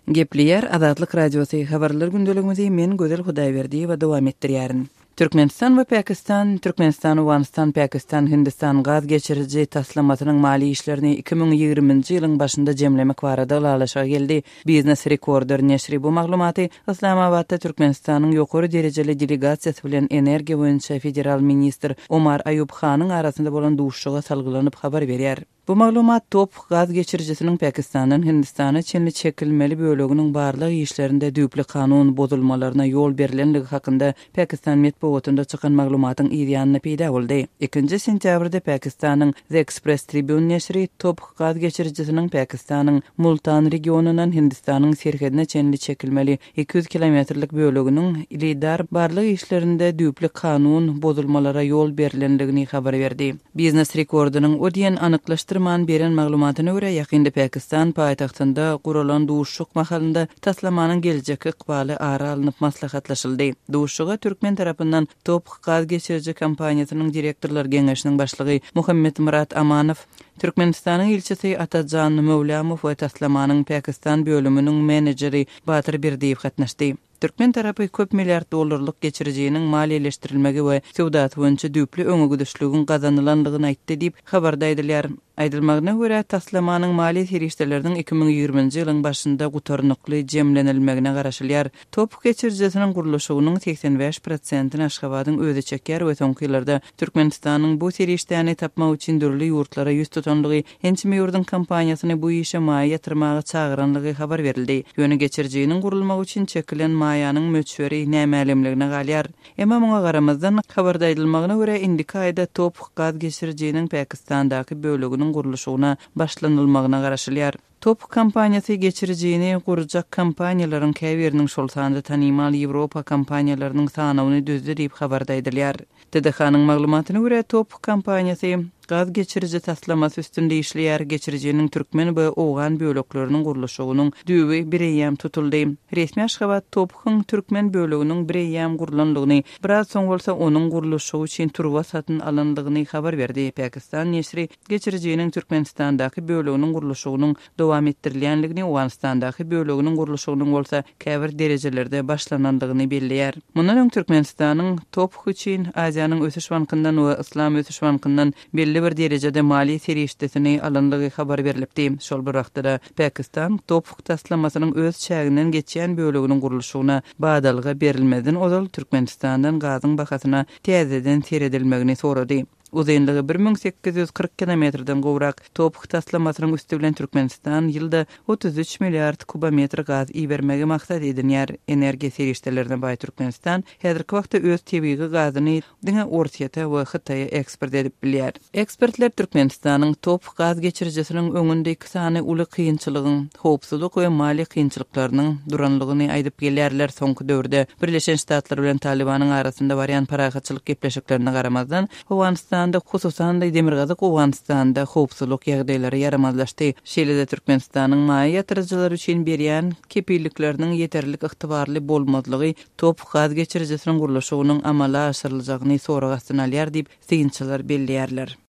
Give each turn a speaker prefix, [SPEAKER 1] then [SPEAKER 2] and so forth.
[SPEAKER 1] Gepleýär Azatlyk Radiosy, Habarlar gündeligimizi men Gözel Hudaýberdiýewa dowam etdirýärin. Türkmenistan we Pakistan Türkmenistan-Owganystan Pakistan-Hindistan gaz geçiriji taslamasynyň maliýe işlerini 2020-nji ýylyň başynda jemlemek barada ylalaşyga geldi. Biznes Rekorder neşiri bu maglumaty Yslamabatda Türkmenistanyň ýokary derejeli delegasiýasy bilen energiýa boýunça federal ministr Omar Aýub Hanyň arasynda bolan duşuşyga salgylanyp habar berýär. Bu maglumat TOPH gaz geçirijisiniň Pakistandan Hindistana çenli çekilmeli böleginiň barlag işlerinde düýpli kanun bozulmalaryna ýol berlenligi hakynda Pakistan metbugatynda çykan maglumatyň yz ýanynda peýda boldy. Ikinji sentýabrda Pakistanyň The Express Tribune neşiri TOPH gaz geçirijisiniň Pakistanyň Multan regionyndan Hindistanyň serhedine çenli çekilmeli 200 kilometrlik böleginiň lidar barlag işlerinde düýpli kanun bozulmalara ýol berlenligini habar berdi. Biznes rekordynyň o diýen anyklaşdyrman beren maglumatyna görä, ýakynda Pakistan paýtagtynda guralan duşuşyk mahalynda taslamanyň geljekki ykbaly ara alnyp maslahatlaşyldy. Duşuşyga türkmen tarapyndan TOPH gaz geçiriji kompaniýasynyň direktorlar geňeşiniň başlygy Muhammetmyrat Amanow, Türkmenistanyň ilçisi Atajan Möwlamow we taslamanyň Pakistan bölüminiň menejeri Batyr Berdiýew gatnaşdy. Türkmen tarapy köp milliard dollarlyk geçirijiniň maliýeleşdirilmegi we söwdasy boýunça düýpli öňegidişligiň gazanylandygyny aýtdy diýip, habarda aýdylýar. Aýdylmagyna görä, taslamanyň maliýe serişdeleriniň 2020-nji ýylyň başynda gutarnykly jemlenilmegine garaşylýar. TOPH geçirijisiniň gurluşygynyň 85 prosentini Aşgabadyň özi çekýär we soňky ýyllarda Türkmenistanyň bu serişdäni tapmak üçin dürli ýurtlara ýüz tutandygy Ençeme ýurduň kompaniýasyny bu işe maýa ýatyrmaga çagyranlygy habar berildi. Ýöne geçirijiniň gurulmagy üçin çekilen maýanyň möçberi nämälimligine galýar. Emma muňa garamazdan, habarda aýdylmagyna görä, indiki aýda TOPH gaz geçirijiniň Pakistandaky böleginiň gurluşygyna başlanylmagyna garaşylýar. TOPH kompaniýasy geçirijini gurjak kompaniýalaryň käbiriniň, şol sanda tanymal ýewropa kompaniýalarynyň sanawyny düzdi diýip, habarda aýdylýar. TDH-nyň maglumatyna görä, TOPH kompaniýasy gaz geçiriji taslamasy üstünde işleýär, geçirijiniň türkmen we owgan bölekleriniň gurluşygynyň düýbi bireýýäm tutuldy. Resmi Aşgabat TOPH-yň türkmen böleginiň bireýýäm gurlandygyny, biraz soň bolsa onuň gurluşygy üçin turba satyn alandygyny habar berdi. Pakistan neşiri geçirijiniň Türkmenistandaky böleginiň gurluşygynyň dowam etdirilýändigini, Owganystandaky böleginiň gurluşygynyň bolsa käbir derejelerde başlanandygyny belleýär. Mundan öň Türkmenistanyň TOPH üçin Aziýanyň ösüş bankyndan we Yslam ösüş bankyndan belli bir derejede maliýe serişdesini alandygy habar berlipdi. Şol bir wagtda-da, Pakistan TOPH taslamasynyň öz çäginden geçýän böleginiň gurluşygyna badalga berilmezden ozal Türkmenistandan gazyň bahasyna täzeden seredilmegini sorady. Uzynlygy 1840 kilometrden gowrak TOPH taslamasynyň üsti bilen Türkmenistan ýylda 33 milliard kubometr gaz ibermegi maksat edinýär. Energiýa serişdelerine baý Türkmenistan häzirki wagtda öz tebigy gazyny diňe Orsýete we Hytaýa eksport edip bilýär. Ekspertler Türkmenistanyň TOPH gaz geçirijisiniň öňünde iki sany uly kynçylygyň, howpsuzlyk we maliýe kynçylyklarynyň duranlygyny aýdyp gelýärler. Soňky döwürde Birleşen Ştatlar bilen Talybanyň arasynda barýan parahatçylyk gepleşiklerine garamazdan, Owganystanda, hususan-da, demirgazyk Owganystanda howpsuzlyk ýagdaýlary ýaramazlaşdy. Şeýle-de Türkmenistanyň maýa ýatyryjylar üçin berýän kepillikleriniň ýeterlik ygtybarly bolmazlygy TOPH gaz geçirijisiniň gurluşygynyň amala aşyryljagyny sorag astyna alýar diýip, synçylar belleýärler.